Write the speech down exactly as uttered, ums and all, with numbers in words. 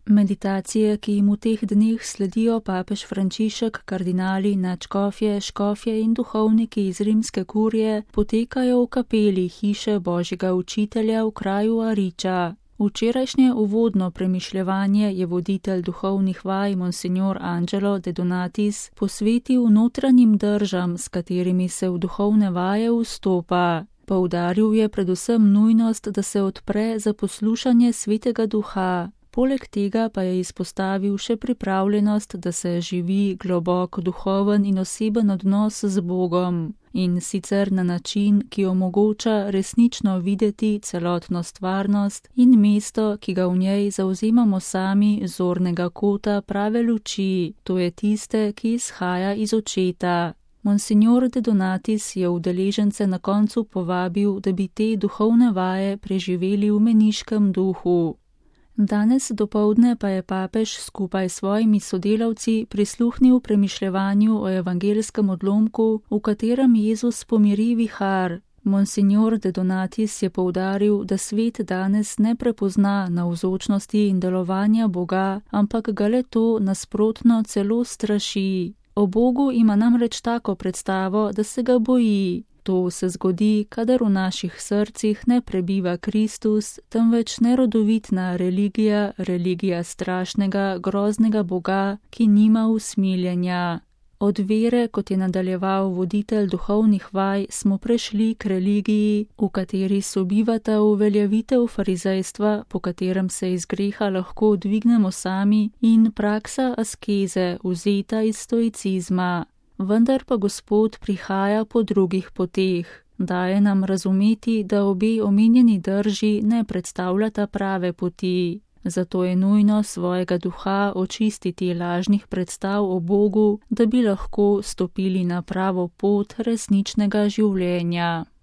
Meditacije, ki jim v teh dneh sledijo papež Frančišek, kardinali, nadškofje, škofje in duhovniki iz rimske kurije, potekajo v kapeli hiše Božjega učitelja v kraju Ariča. Včerajšnje uvodno premišljevanje je voditelj duhovnih vaj Monsignor Angelo De Donatis posvetil notranjim držam, s katerimi se v duhovne vaje vstopa. Poudaril je predvsem nujnost, da se odpre za poslušanje Svetega Duha. Poleg tega pa je izpostavil še pripravljenost, da se živi globok duhoven in oseben odnos z Bogom, in sicer na način, ki omogoča resnično videti celotno stvarnost in mesto, ki ga v njej zauzemamo sami zornega kota prave luči, to je tiste, ki izhaja iz očeta. Monsignor De Donatis je udeležence na koncu povabil, da bi te duhovne vaje preživeli v meniškem duhu. Danes dopoldne pa je papež skupaj s svojimi sodelavci prisluhnil premišljevanju o evangelskem odlomku, v katerem Jezus pomiri vihar. Monsignor De Donatis je poudaril, da svet danes ne prepozna navzočnosti in delovanja Boga, ampak ga le to nasprotno celo straši. O Bogu ima namreč tako predstavo, da se ga boji. To se zgodi, kadar v naših srcih ne prebiva Kristus, temveč nerodovitna religija, religija strašnega, groznega Boga, ki nima usmiljenja. Od vere, kot je nadaljeval voditelj duhovnih vaj, smo prešli k religiji, v kateri sobivata uveljavitev farizejstva, po katerem se iz greha lahko dvignemo sami, in praksa askeze, vzeta iz stoicizma. Vendar pa Gospod prihaja po drugih poteh. Daje nam razumeti, da obe omenjeni drži ne predstavljata prave poti. Zato je nujno svojega duha očistiti lažnih predstav o Bogu, da bi lahko stopili na pravo pot resničnega življenja.